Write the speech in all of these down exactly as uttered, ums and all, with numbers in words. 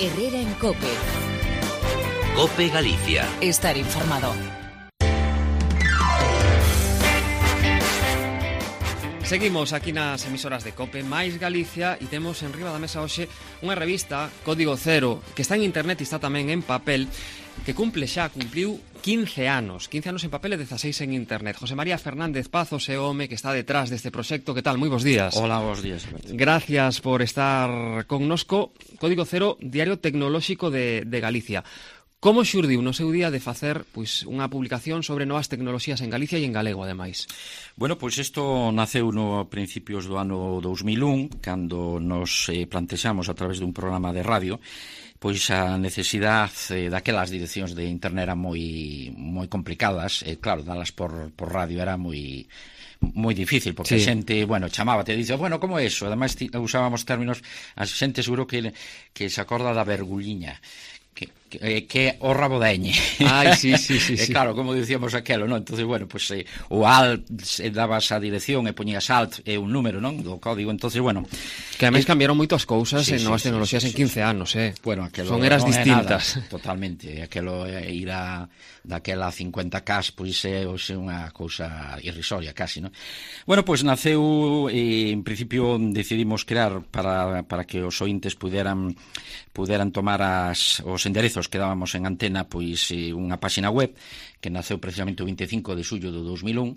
Herrera en COPE. COPE Galicia. Estar informado. Seguimos aquí nas emisoras de COPE máis Galicia e temos en riba da mesa hoxe unha revista, Código Cero, que está en internet e está tamén en papel, que cumple xa, cumpliu quince anos, quince anos en papel e dezaseis en internet. José María Fernández Pazos é o home que está detrás deste proxecto. Que tal? Moi bons días. Hola, bons días, Alberto. Gracias por estar connosco. Código Cero, Diario Tecnolóxico de, de Galicia. Como xurdiu no seu día de facer pois unha publicación sobre novas tecnoloxías en Galicia e en galego, ademais? Bueno, pois isto naceu no principios do ano dous mil un, cando nos eh, plantexamos a través dun programa de radio pois a necesidade eh, daquelas direccións de internet eran moi moi complicadas, e eh, claro, dalas por, por radio era moi moi difícil, porque sí. A xente, bueno, chamaba, te dice, bueno, como é iso? Ademais, usábamos términos, a xente seguro que, que se acorda da vergulliña, que, que, que o rabo da eñe. Ai, sí, sí, sí, sí. sí. Claro, como dicíamos aquelo, non? Entonces, bueno, pues eh, o alt eh, dabas a dirección e poñías alt e eh, un número, non? Do código, entonces, bueno. Que ademais eh, cambiaron moito as cousas sí, en novas sí, tecnoloxías sí, en quince sí, anos, eh? Bueno, aquelo son eras non distintas. Nada, totalmente. Aquelo eh, ir a daquela cincuenta K, pois é hoxe unha cousa irrisoria, casi, non? Bueno, pois naceu, e en principio decidimos crear para, para que os ointes puderan puderan tomar as, os enderezos que dábamos en antena, pois eh, unha páxina web que naceu precisamente o vinte e cinco de xullo do dous mil un.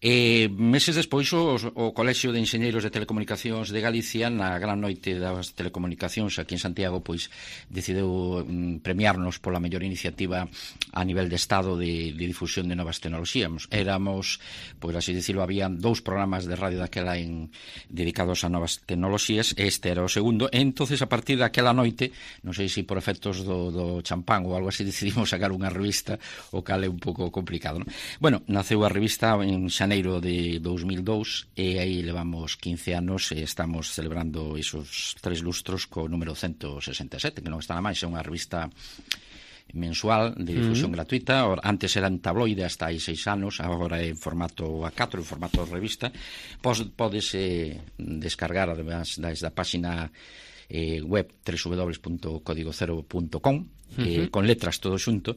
E meses despois o, o Colexio de Enxeñeiros de Telecomunicacións de Galicia, na gran noite das telecomunicacións aquí en Santiago, pois decideu mm, premiarnos pola mellor iniciativa a nivel de Estado de, de difusión de novas tecnoloxías. Éramos, pois así dicirlo, había dous programas de radio daquela en, dedicados a novas tecnoloxías, este era o segundo, e entonces a partir daquela noite, non sei se por efectos do, do champán ou algo así, decidimos sacar unha revista, o cal é un pouco complicado, non? Bueno, naceu a revista en xaneiro de dous mil dous e aí levamos quince anos e estamos celebrando esos tres lustros co número ciento sesenta e sete, que non está na máis, é unha revista mensual de difusión uh-huh. gratuita. Antes era en tabloide hasta hai seis anos, agora é en formato A catro, en formato revista. Pos, podes eh, descargar además desde a páxina eh, web doble u doble u doble u punto código cero punto com uh-huh. eh, con letras todo xunto,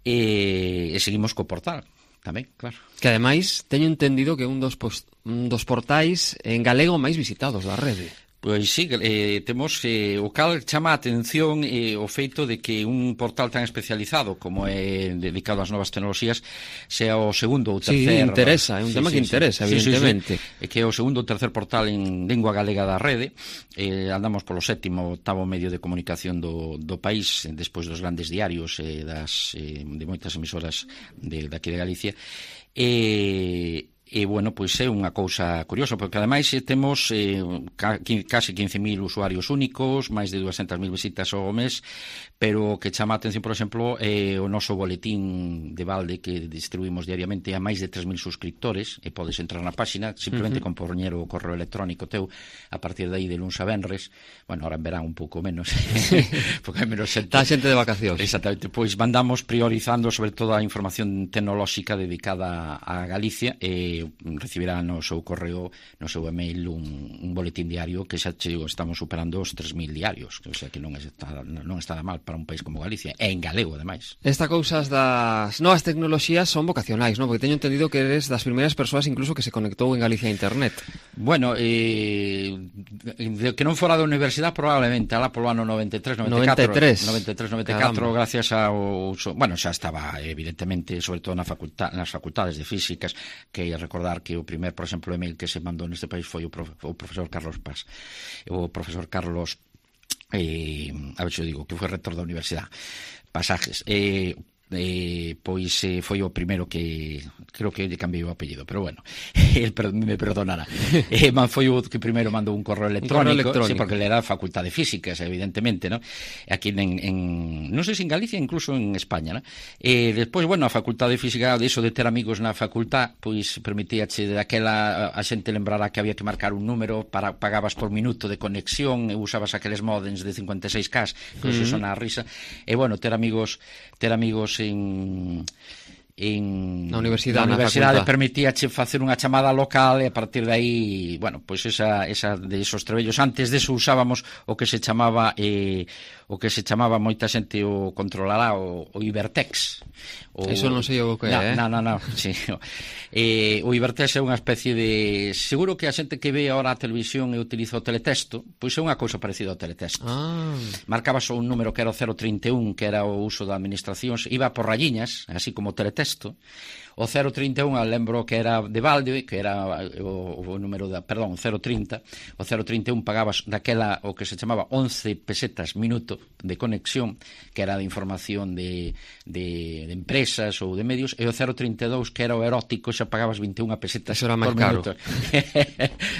e, e seguimos co portal tamén, claro. Que ademais teño entendido que é un dos, post, un dos portais en galego máis visitados da rede. Pois sí, eh, temos eh, o cal chama a atención eh, o feito de que un portal tan especializado como é dedicado ás novas tecnoloxías sea o segundo ou tercer... Sí, interesa, é un sí, tema sí, que interesa, sí, evidentemente. Sí, sí, sí. Que é o segundo ou tercer portal en lingua galega da rede. Eh, andamos polo sétimo ou octavo medio de comunicación do, do país, despois dos grandes diarios eh, das, eh, de moitas emisoras de, de aquí de Galicia. E... E, bueno, pois é unha cousa curiosa, porque ademais temos eh, ca, casi quince mil usuarios únicos, máis de dúascentas mil visitas ao mes, pero o que chama a atención, por exemplo, é o noso boletín de balde que distribuimos diariamente a máis de tres mil suscriptores, e podes entrar na páxina, simplemente uh-huh. con poñer o correo electrónico teu, a partir de aí de luns a venres, bueno, ahora en verán un pouco menos, porque hai menos xente. Está xente de vacacións. Exactamente, pois mandamos priorizando sobre todo a información tecnolóxica dedicada a Galicia, e recibirá no seu correo, no seu email, un, un boletín diario que xa chego, estamos superando os tres mil diarios, que, o sea, que non está, non está mal para un país como Galicia, e en galego, ademais. Esta cousas das novas tecnoloxías son vocacionais, non? Porque teño entendido que eres das primeiras persoas incluso que se conectou en Galicia a internet. Bueno, eh, de que non fora da universidade probablemente, alá polo ano noventa e tres, noventa e catro, noventa e tres, noventa e catro, gracias ao... Bueno, xa estaba, evidentemente, sobre todo na facultad, nas facultades de físicas, que recordar que o primer, por exemplo, email que se mandou neste país foi o, profe, o profesor Carlos Paz, o profesor Carlos eh, a ver se eu digo, que foi rector da universidade, Pasajes, eh, eh, pois eh, foi o primeiro que creo que lle cambiei o apellido, pero bueno, el me perdonará. eh, man, foi o que primeiro mandou un correo electrónico, un correo electrónico. Sí, porque ele era facultade de físicas, evidentemente, ¿no? Aquí en, en non sei se en Galicia, incluso en España, ¿no? E despois, bueno, a facultade de física, de iso de ter amigos na facultad, pois permitíache daquela a xente lembrará que había que marcar un número, para pagabas por minuto de conexión e usabas aqueles modems de cincuenta e seis K, que uh-huh. son a risa. E bueno, ter amigos, ter amigos en en na universidade, na universidade facultade. permitíache facer unha chamada local e a partir de aí, bueno, pois esa, esa de esos trebellos. Antes deso usábamos o que se chamaba eh, o que se chamaba moita xente o controlará o, o Ibertex. O, Eso non sei o que é, eh? Non, non, non, sí. Eh, o Ibertex é unha especie de... Seguro que a xente que ve ahora a televisión e utiliza o teletexto, pois é unha cousa parecida ao teletexto. Ah. Marcabas un número que era o cero trinta e un, que era o uso da administración, iba por rayiñas, así como o teletexto. O cero trinta e un, lembro que era de balde, que era o, o número da, perdón, cero trinta. O cero trinta e un pagabas daquela o que se chamaba once pesetas minuto de conexión, que era de información de, de, de empresas ou de medios, e o cero trinta e dous, que era o erótico, xa pagabas vinte e unha pesetas Eso era máis por caro. minuto.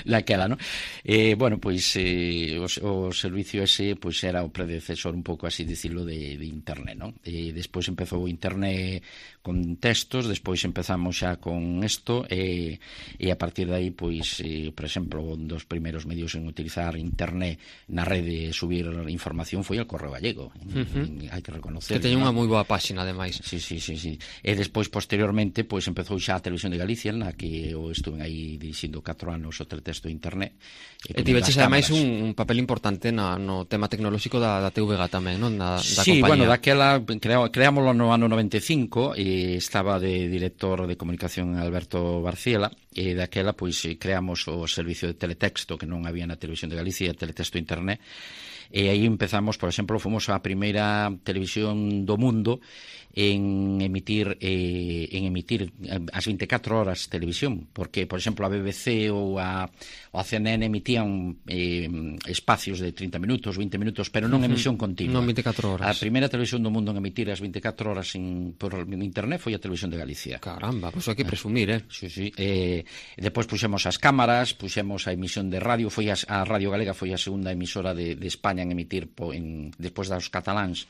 Daquela, non? Eh, bueno, pois eh, o, o servicio ese pois era o predecesor un pouco así dicilo de, de internet, non? E despois empezou o internet con textos, despois empezamos xa con isto e, e a partir de aí, pois, eh, por exemplo, un dos primeiros medios en utilizar internet na rede e subir información foi el Correo Gallego. Uh-huh. Hai que reconocer. Que teña ¿no? unha moi boa páxina, ademais. Sí, sí, sí, sí. E despois, posteriormente, pois empezou xa a Televisión de Galicia, na que eu estuve aí dirixindo catro anos o teletexto de internet. E tiveches ademais un, un papel importante na, no tema tecnolóxico da, da T V G tamén, non? Da, da sí, compañía. bueno, daquela crea, creámoslo no ano noventa e cinco e estaba de director de comunicación Alberto Barciela e daquela pois creamos o servicio de teletexto que non había na Televisión de Galicia, teletexto internet. E aí empezamos, por exemplo, fomos a primeira televisión do mundo en emitir eh, en emitir as vinte e catro horas televisión, porque, por exemplo, a B B C ou a, ou a C N N emitían eh, espacios de trinta minutos, vinte minutos, pero non emisión continua. Non vinte e catro horas. A primeira televisión do mundo en emitir as vinte e catro horas en, por internet foi a Televisión de Galicia. Caramba, pois pues hai que presumir, eh? Sí, sí. Eh, depois puxemos as cámaras, puxemos a emisión de radio, foi a, a Radio Galega foi a segunda emisora de, de España en emitir po, en, despois dos cataláns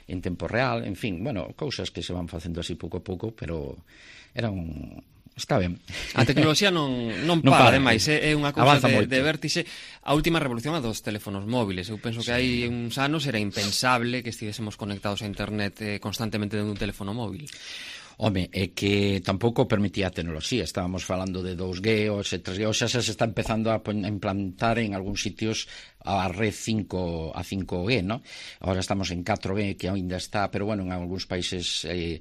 en tempo real, en fin, bueno, cousas que se van facendo así pouco a pouco, pero era un... Está ben. A tecnoloxía non, non Non para, para, ademais, é unha cousa de, avanza moito. de vértixe. A última revolución a dos teléfonos móviles. Eu penso que hai uns anos era impensable que estivésemos conectados a internet eh, constantemente dentro dun teléfono móvil. Home, é que tampouco permitía a tecnoloxía. Estábamos falando de dous G, o tres G, o xa se está empezando a implantar en algúns sitios a red cinco, a cinco G, ¿no? Ahora estamos en catro G, que ainda está, pero bueno, en algúns países eh,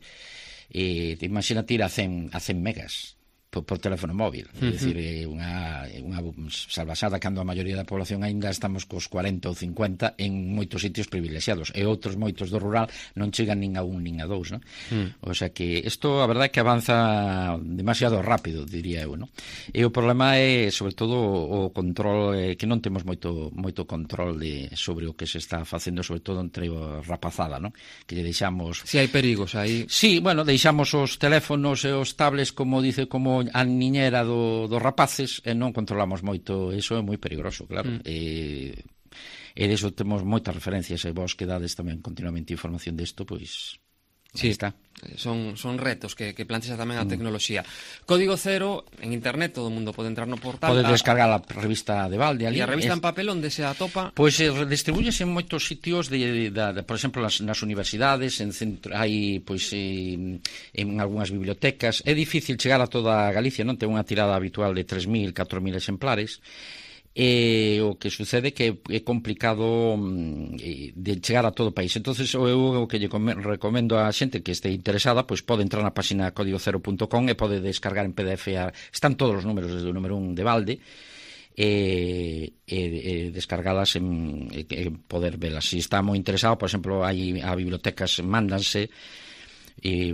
eh, imagínate ir a cen megas por, por teléfono móvil. Uh-huh. É dicir, é unha, unha salvasada cando a maioría da población aínda estamos cos cuarenta ou cincuenta en moitos sitios privilexiados e outros moitos do rural non chegan nin a un nin a dous, non? Uh-huh. O sea que isto a verdade é que avanza demasiado rápido, diría eu, non? E o problema é sobre todo o control, eh, que non temos moito moito control de, sobre o que se está facendo, sobre todo entre a rapazada, non? Que lle deixamos... Si hai perigos aí. Sí, bueno, deixamos os teléfonos e os tablets, como dice, como a niñera do, dos rapaces e non controlamos moito, eso é moi peligroso, claro. Mm. E, e deso temos moitas referencias e vos que dades tamén continuamente información desto, pois sí, está. Son, son retos que, que plantexa tamén a tecnoloxía. Código Cero, en internet, todo o mundo pode entrar no portal. Pode descargar a revista de Valde ali. E a revista es... en papel onde se atopa? Pois pues, eh, distribúyese en moitos sitios, de, de, de, de, por exemplo, nas, nas universidades, en centro, hai, pois, eh, en algunhas bibliotecas. É difícil chegar a toda Galicia, non? Ten unha tirada habitual de tres mil, catro mil exemplares. E o que sucede que é complicado mm, de chegar a todo o país. Entonces eu o que lle recomendo a xente que este interesada, pois pode entrar na página código cero punto com e pode descargar en P D F a, están todos os números desde o número un de Valde e, e, e descargalas en, e, e poder velas. Se está moi interesado, por exemplo, hai a bibliotecas mándanse e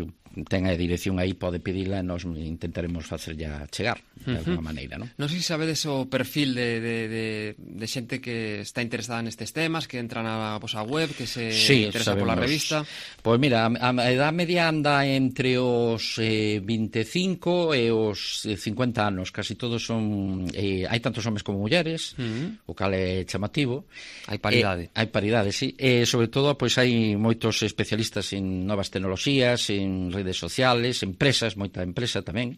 ten a dirección aí, pode pedila e nos intentaremos facer ya chegar de alguma uh-huh. maneira, non? Non sei se sabedes o perfil de, de, de, de xente que está interesada nestes temas, que entra na vosa web, que se sí, interesa sabemos. pola revista. Pois mira, a, a edad media anda entre os eh, vinte e cinco e os cincuenta anos, casi todos son eh, hai tantos homes como mulleres, uh-huh. o cal é chamativo. Hai paridade. Eh, hai paridade, sí. E sobre todo, pois hai moitos especialistas en novas tecnoloxías, en redes sociales, empresas, moita empresa tamén,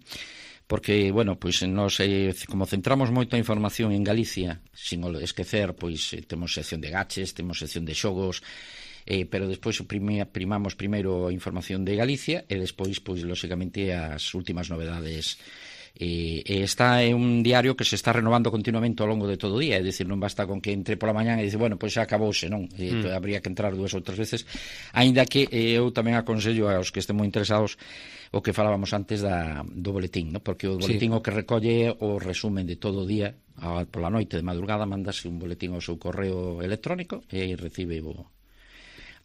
porque, bueno, pois nos, eh, como centramos moito a información en Galicia, sin esquecer, pois temos sección de gaches, temos sección de xogos, eh, pero despois primi, primamos primeiro a información de Galicia e despois, pois, lóxicamente, as últimas novedades. E, e está é un diario que se está renovando continuamente ao longo de todo o día, é dicir, non basta con que entre pola mañá e dice, bueno, pois xa acabouse, non? E, mm. habría que entrar dúas ou tres veces, aínda que eh, eu tamén aconsello aos que estén moi interesados o que falábamos antes da, do boletín, non? Porque o boletín sí. o que recolle o resumen de todo o día, a, pola noite de madrugada mandase un boletín ao seu correo electrónico e recibe o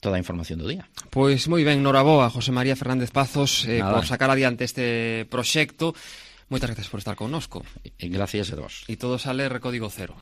toda a información do día. Pois moi ben, noraboa, José María Fernández Pazos, eh, por sacar adiante este proxecto. Moitas gracias por estar connosco. Gracias a vos. E todo sale Código Cero.